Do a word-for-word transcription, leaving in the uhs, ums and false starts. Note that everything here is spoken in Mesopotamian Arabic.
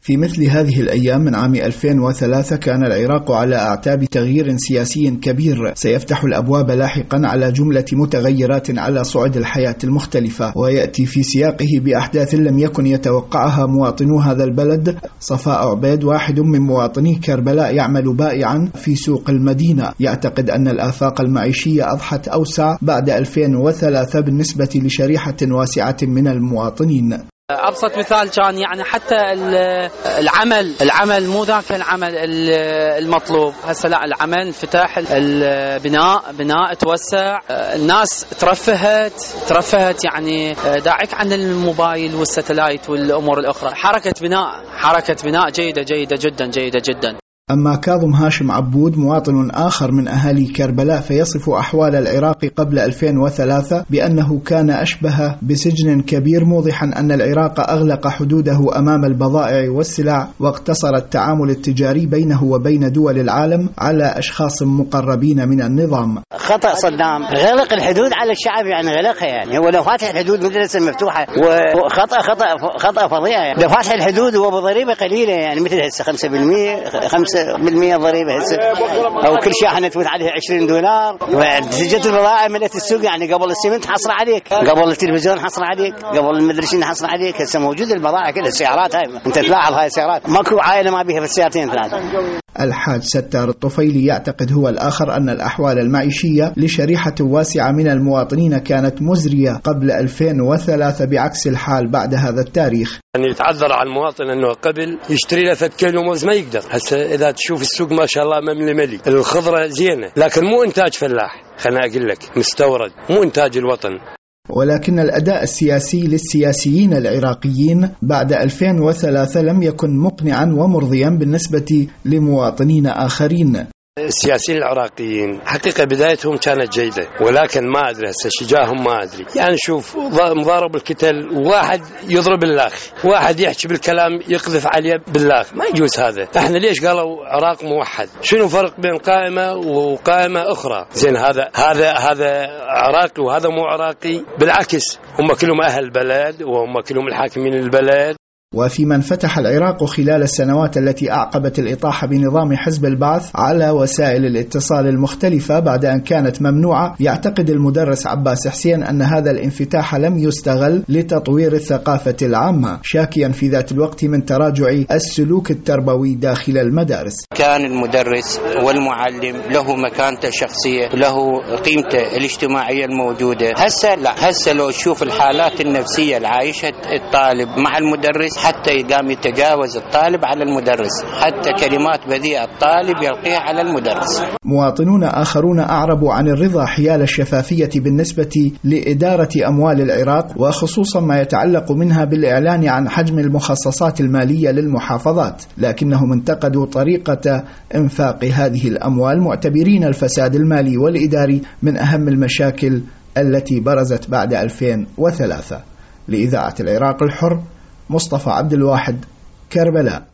في مثل هذه الأيام من عام ألفين وثلاثة كان العراق على أعتاب تغيير سياسي كبير سيفتح الأبواب لاحقا على جملة متغيرات على صعد الحياة المختلفة، ويأتي في سياقه بأحداث لم يكن يتوقعها مواطنو هذا البلد. صفاء عبيد واحد من مواطني كربلاء يعمل بائعا في سوق المدينة، يعتقد أن الآفاق المعيشية أضحت أوسع بعد ألفين وثلاثة بالنسبة لشريحة واسعة من المواطنين. أبسط مثال كان يعني حتى العمل العمل مو ذاك العمل المطلوب هسه، لا العمل انفتح، البناء بناء توسع، الناس ترفهت ترفهت يعني داعك عن الموبايل والستلايت والأمور الأخرى. حركة بناء حركة بناء جيدة جيدة جدا جيدة جدا. أما كاظم هاشم عبود مواطن آخر من أهالي كربلاء فيصف أحوال العراق قبل ألفين وثلاثة بأنه كان أشبه بسجن كبير، موضحا أن العراق أغلق حدوده أمام البضائع والسلع واقتصر التعامل التجاري بينه وبين دول العالم على أشخاص مقربين من النظام. خطأ صدام غلق الحدود على الشعب، يعني غلقها، يعني هو لو فاتح الحدود مدرسة مفتوحة، وخطأ خطأ خطأ فظيع، يعني لو فاتح الحدود هو بضريبة قليلة، يعني مثل هسه خمسة بالمئة خمسة بالمئة ضريبة هسه، أو كل شاحنة تفوت عليها عشرين دولار، وجت البضائع ملت السوق، يعني قبل السمنت حصر عليك، قبل التلفزيون حصر عليك، قبل المدرسين حصر عليك، هسه موجود البضائع كلها، السيارات هاي أنت تلاحظ هاي السيارات ماكو عائلة ما بيها في السيارتين ثلاثة. الحاج ستار الطفيلي يعتقد هو الآخر أن الأحوال المعيشية لشريحة واسعة من المواطنين كانت مزرية قبل ألفين وثلاثة بعكس الحال بعد هذا التاريخ. يعني يتعذر على المواطن أنه قبل يشتري له ثلاث كيلو موز ما يقدر، هسه إذا تشوف السوق ما شاء الله مملي ملي، الخضرة زينة، لكن مو إنتاج فلاح، خلنا أقول لك مستورد، مو إنتاج الوطن. ولكن الأداء السياسي للسياسيين العراقيين بعد ألفين وثلاثة لم يكن مقنعا ومرضيا بالنسبة لمواطنين آخرين. السياسيين العراقيين حقيقة بدايتهم كانت جيدة، ولكن ما أدري هسه شجاهم ما أدري، يعني شوف مضارب الكتل، واحد يضرب اللاخ، واحد يحكي بالكلام يقذف عليه باللاخ، ما يجوز هذا. احنا ليش قالوا عراق موحد؟ شنو فرق بين قائمة وقائمة أخرى؟ زين هذا هذا هذا عراقي وهذا مو عراقي، بالعكس هم كلهم أهل البلد وهم كلهم الحاكمين البلد. وفي من فتح العراق خلال السنوات التي أعقبت الإطاحة بنظام حزب البعث على وسائل الاتصال المختلفة بعد أن كانت ممنوعة، يعتقد المدرس عباس حسين أن هذا الانفتاح لم يستغل لتطوير الثقافة العامة، شاكيا في ذات الوقت من تراجع السلوك التربوي داخل المدارس. كان المدرس والمعلم له مكانته الشخصية، له قيمته الاجتماعية الموجودة. هسه لا، هسه لو تشوف الحالات النفسية العايشة الطالب مع المدرس حتى يقام يتجاوز الطالب على المدرس، حتى كلمات بذيئة الطالب يلقيها على المدرس. مواطنون آخرون أعربوا عن الرضا حيال الشفافية بالنسبة لإدارة أموال العراق، وخصوصا ما يتعلق منها بالإعلان عن حجم المخصصات المالية للمحافظات، لكنهم انتقدوا طريقة إنفاق هذه الأموال، معتبرين الفساد المالي والإداري من أهم المشاكل التي برزت بعد ألفين وثلاثة. لإذاعة العراق الحر، مصطفى عبد الواحد، كربلاء.